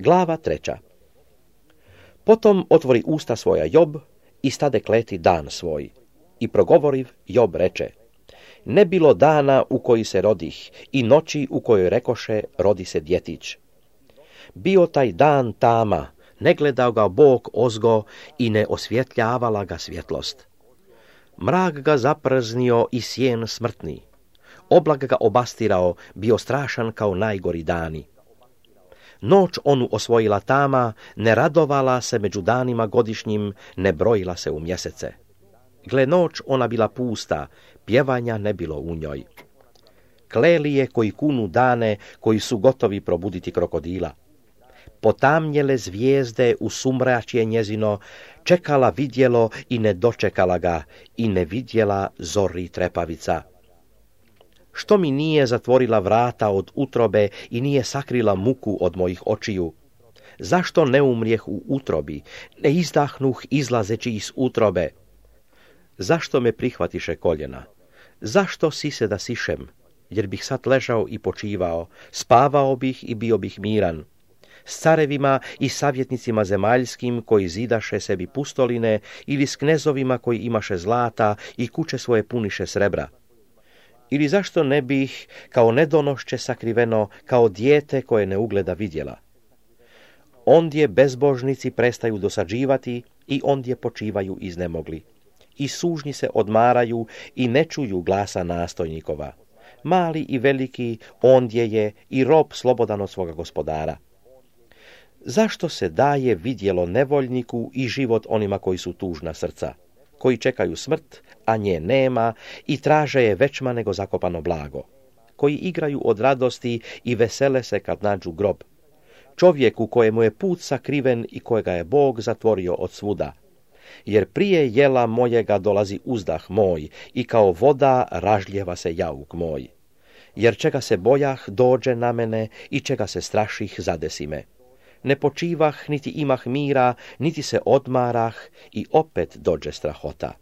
Glava 3. Potom otvori usta svoja Job i stade kleti dan svoj. I progovoriv, Job reče: Ne bilo dana u koji se rodih i noći u kojoj rekoše rodi se djetić. Bio taj dan tama, ne gledao ga Bog ozgo i ne osvjetljavala ga svjetlost. Mrak ga zaprznio i sjen smrtni. Oblak ga obastirao, bio strašan kao najgori dani. Noć onu osvojila tama, ne radovala se među danima godišnjim, ne brojila se u mjesece. Gle, noć ona bila pusta, pjevanja ne bilo u njoj. Kleli je koji kunu dane, koji su gotovi probuditi krokodila. Potamnjele zvijezde u sumračje njezino, čekala vidjelo i ne dočekala ga, i ne vidjela zori trepavica. Što mi nije zatvorila vrata od utrobe i nije sakrila muku od mojih očiju? Zašto ne umrijeh u utrobi, ne izdahnuh izlazeći iz utrobe? Zašto me prihvatiše koljena? Zašto sise da sišem? Jer bih sad ležao i počivao, spavao bih i bio bih miran. S carevima i savjetnicima zemaljskim koji zidaše sebi pustoline ili s knezovima koji imaše zlata i kuće svoje puniše srebra. Ili zašto ne bih kao nedonošće sakriveno, kao dijete koje ne ugleda vidjela? Ondje bezbožnici prestaju dosađivati i ondje počivaju iznemogli. I sužnji se odmaraju i ne čuju glasa nastojnikova. Mali i veliki ondje je i rob slobodan od svoga gospodara. Zašto se daje vidjelo nevoljniku i život onima koji su tužna srca, koji čekaju smrt, a nje nema i traže je većma nego zakopano blago, koji igraju od radosti i vesele se kad nađu grob, čovjeku kojemu je put sakriven i kojega je Bog zatvorio od svuda, jer prije jela mojega dolazi uzdah moj i kao voda ražljeva se jauk moj, jer čega se bojah dođe na mene i čega se straših zadesi me. Ne počivah, niti imah mira, niti se odmarah i opet dođe strahota.